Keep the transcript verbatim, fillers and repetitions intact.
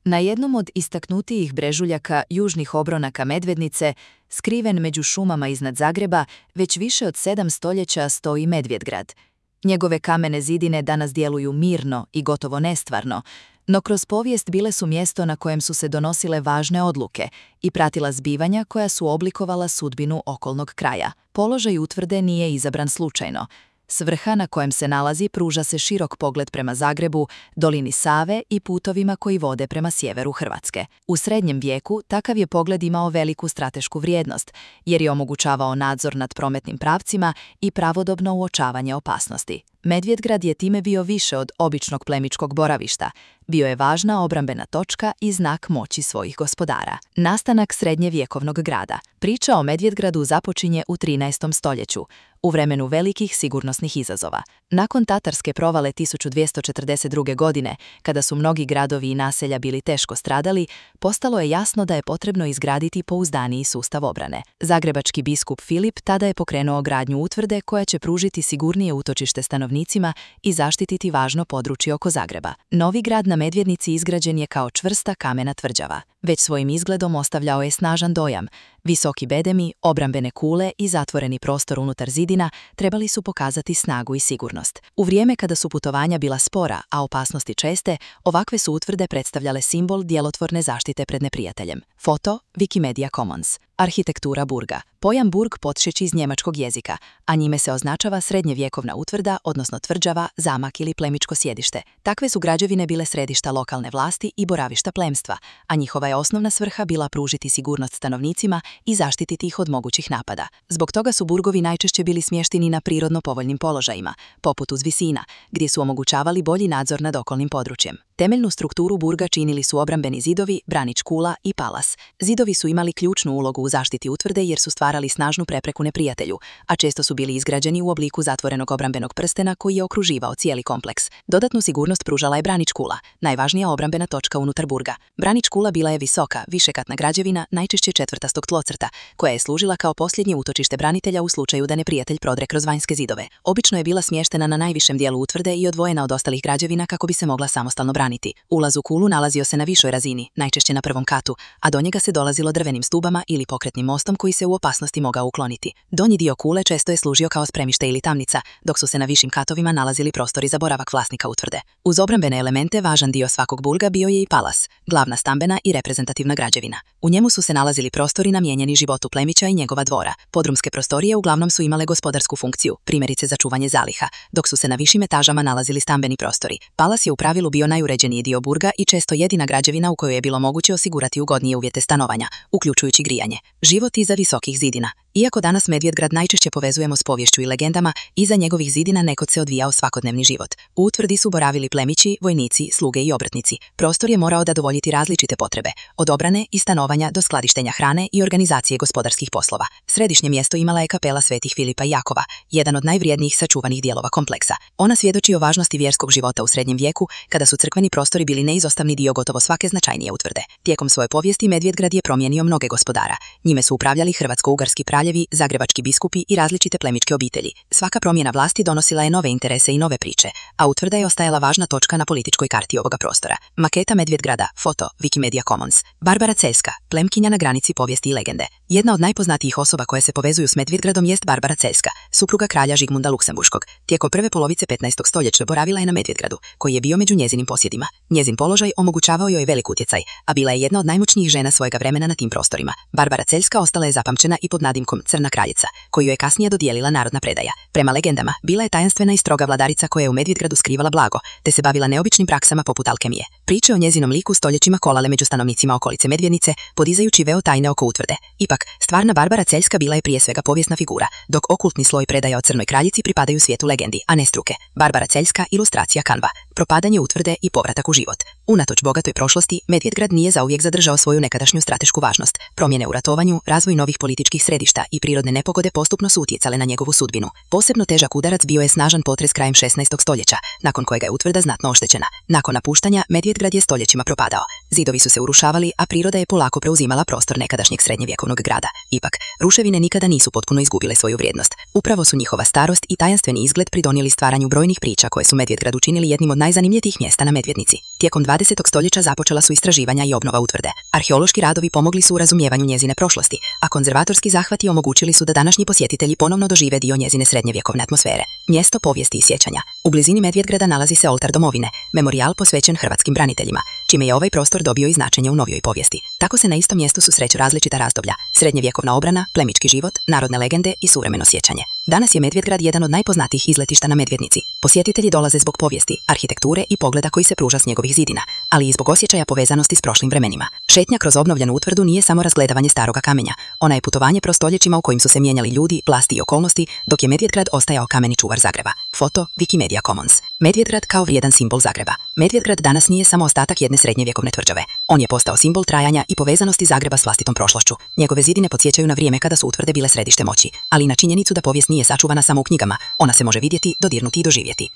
Na jednom od istaknutijih brežuljaka južnih obronaka Medvednice, skriven među šumama iznad Zagreba, već više od sedam stoljeća stoji Medvjedgrad. Njegove kamene zidine danas djeluju mirno i gotovo nestvarno, no kroz povijest bile su mjesto na kojem su se donosile važne odluke i pratila zbivanja koja su oblikovala sudbinu okolnog kraja. Položaj utvrde nije izabran slučajno. S vrha na kojem se nalazi pruža se širok pogled prema Zagrebu, dolini Save i putovima koji vode prema sjeveru Hrvatske. U srednjem vijeku takav je pogled imao veliku stratešku vrijednost, jer je omogućavao nadzor nad prometnim pravcima i pravodobno uočavanje opasnosti. Medvjedgrad je time bio više od običnog plemičkog boravišta. Bio je važna obrambena točka i znak moći svojih gospodara. Nastanak srednjevjekovnog grada. Priča o Medvjedgradu započinje u trinaestom stoljeću, u vremenu velikih sigurnosnih izazova. Nakon tatarske provale tisuću dvjesto četrdeset druge. godine, kada su mnogi gradovi i naselja bili teško stradali, postalo je jasno da je potrebno izgraditi pouzdaniji sustav obrane. Zagrebački biskup Filip tada je pokrenuo gradnju utvrde koja će pružiti sigurnije utočište stanovnicima i zaštititi važno područje oko Zagreba. Novi grad na Medvednici izgrađen je kao čvrsta kamena tvrđava. Već svojim izgledom ostavljao je snažan dojam. Visoki bedemi, obrambene kule i zatvoreni prostor unutar zidina trebali su pokazati snagu i sigurnost. U vrijeme kada su putovanja bila spora, a opasnosti česte, ovakve su utvrde predstavljale simbol djelotvorne zaštite pred neprijateljem. Foto Wikimedia Commons. Arhitektura burga. Pojam burg potječe iz njemačkog jezika, a njime se označava srednjevjekovna utvrda, odnosno tvrđava, zamak ili plemičko sjedište. Takve su građevine bile središta lokalne vlasti i boravišta plemstva, a njihova je osnovna svrha bila pružiti sigurnost stanovnicima i zaštititi ih od mogućih napada. Zbog toga su burgovi najčešće bili smješteni na prirodno povoljnim položajima, poput uz visina, gdje su omogućavali bolji nadzor nad okolnim područjem. Temeljnu strukturu burga činili su obrambeni zidovi, branič kula i palas. Zidovi su imali ključnu ulogu u zaštiti utvrde jer su stvarali snažnu prepreku neprijatelju, a često su bili izgrađeni u obliku zatvorenog obrambenog prstena koji je okruživao cijeli kompleks. Dodatnu sigurnost pružala je branič kula, najvažnija obrambena točka unutar burga. Branič kula bila je visoka, višekatna građevina, najčešće četvrtastog tlocrta, koja je služila kao posljednje utočište branitelja u slučaju da neprijatelj prodre kroz vanjske zidove. Obično je bila smještena na najvišem dijelu utvrde i odvojena od ostalih građevina kako bi se mogla samostalno braniti. Ulaz u kulu nalazio se na višoj razini, najčešće na prvom katu, a do njega se dolazilo drvenim stubama ili pokretnim mostom koji se u opasnosti mogao ukloniti. Donji dio kule često je služio kao spremište ili tamnica, dok su se na višim katovima nalazili prostori za boravak vlasnika utvrde. Uz obrambene elemente važan dio svakog burga bio je i palas, glavna stambena i reprezentativna građevina. U njemu su se nalazili prostori namijenjeni životu plemića i njegova dvora. Podrumske prostorije uglavnom su imale gospodarsku funkciju, primjerice za čuvanje zaliha, dok su se na višim etažama nalazili stambeni prostori. Palas je u pravilu bio najuređeniji dio burga i često jedina građevina u kojoj je bilo moguće osigurati ugodnije uvjete stanovanja, uključujući grijanje. Život iza visokih zidina. Iako danas Medvjedgrad najčešće povezujemo s poviješću i legendama, iza njegovih zidina nekad se odvijao svakodnevni život. U utvrdi su boravili plemići, vojnici, sluge i obrtnici. Prostor je morao zadovoljiti različite potrebe, od obrane i stanovanja do skladištenja hrane i organizacije gospodarskih poslova. Središnje mjesto imala je kapela Svetih Filipa i Jakova, jedan od najvrijednijih sačuvanih dijelova kompleksa. Ona svjedoči o važnosti vjerskog života u srednjem vijeku, kada su crkveni prostori bili neizostavni dio gotovo svake značajnije utvrde. Tijekom svoje povijesti Medvjedgrad je promijenio mnoge gospodara. Njime su upravljali hrvatsko-ugarski kraljevi, zagrebački biskupi i različite plemičke obitelji. Svaka promjena vlasti donosila je nove interese i nove priče, a utvrda je ostajala važna točka na političkoj karti ovoga prostora. Maketa Medvjedgrada, foto Wikimedia Commons. Barbara Celjska, plemkinja na granici povijesti i legende. Jedna od najpoznatijih osoba koje se povezuju s Medvjedgradom jest Barbara Celjska, supruga kralja Žigmunda Luksemburškog. Tijekom prve polovice petnaestog stoljeća boravila je na Medvjedgradu, koji je bio među njezinim posjedima. Njezin položaj omogućavao joj velik utjecaj, a bila je jedna od najmoćnijih žena svojega vremena na tim prostorima. Barbara Celjska ostala je zapamćena i pod nadimkom Crna kraljica, koju je kasnije dodijelila narodna predaja. Prema legendama, bila je tajanstvena i stroga vladarica koja je u Medvjedgradu skrivala blago, te se bavila neobičnim praksama poput alkemije. Priče o njezinom liku stoljećima kolale među stanovnicima okolice Medvednice, podizajući veo tajne oko utvrde. Ipak, stvarna Barbara Celjska bila je prije svega povijesna figura, dok okultni sloj predaja o Crnoj kraljici pripadaju svijetu legendi, a ne struke. Barbara Celjska, ilustracija Canva. Propadanje utvrde i povratak u život. Unatoč bogatoj prošlosti, Medvjedgrad nije zauvijek zadržao svoju nekadašnju stratešku važnost. Promjene u ratovanju, razvoj novih političkih središta i prirodne nepogode postupno su utjecale na njegovu sudbinu. Posebno težak udarac bio je snažan potres krajem šesnaestog stoljeća, nakon kojega je utvrda znatno oštećena. Nakon napuštanja, Medvjedgrad je stoljećima propadao. Zidovi su se urušavali, a priroda je polako preuzimala prostor nekadašnjeg srednjevjekovnog grada. Ipak, ruševine nikada nisu potpuno izgubile svoju vrijednost. Upravo su njihova starost i tajanstveni izgled pridonijeli stvaranju brojnih priča koje su Medvjedgrad učinili jednim od najzanimljivijih mjesta na Medvednici. Tijekom dvadesetog stoljeća započela su istraživanja i obnova utvrde. Arheološki radovi pomogli su u razumijevanju njezine prošlosti, a konzervatorski zahvati omogućili su da današnji posjetitelji ponovno dožive dio njezine srednjevjekovne atmosfere. Mjesto povijesti i sjećanja. U blizini Medvedgrada nalazi se oltar domovine, memorijal posvećen hrvatskim braniteljima, čime je ovaj prostor dobio i značenje u novijoj povijesti. Tako se na istom mjestu susreću različita razdoblja: srednjevjekovna obrana, plemički život, narodne legende i suvremeno sjećanje. Danas je Medvedgrad jedan od najpoznatijih izletišta na Medvednici. Posjetitelji dolaze zbog povijesti, arhitekture i pogleda koji se pruža s njegovih zidina, ali i zbog osjećaja povezanosti s prošlim vremenima. Šetnja kroz obnovljenu utvrdu nije samo razgledavanje staroga kamenja, ona je putovanje kroz stoljećima u kojim su se mijenjali ljudi, vlasti i okolnosti, dok je Medvedgrad ostajao kameni čuvar Zagreba. Foto Wikimedia Commons. Medvedgrad kao vrijedan simbol Zagreba. Medvedgrad danas nije samo ostatak jedne srednjevjekovne tvrđave. On je postao simbol trajanja i povezanosti Zagreba s vlastitom prošlošću. Njegove zidine podsjećaju na vrijeme kada su utvrde bile središte moći, ali i na činjenicu da povijest nije sačuvana samo u knjigama, ona se može vidjeti, dodirnuti i doživjeti.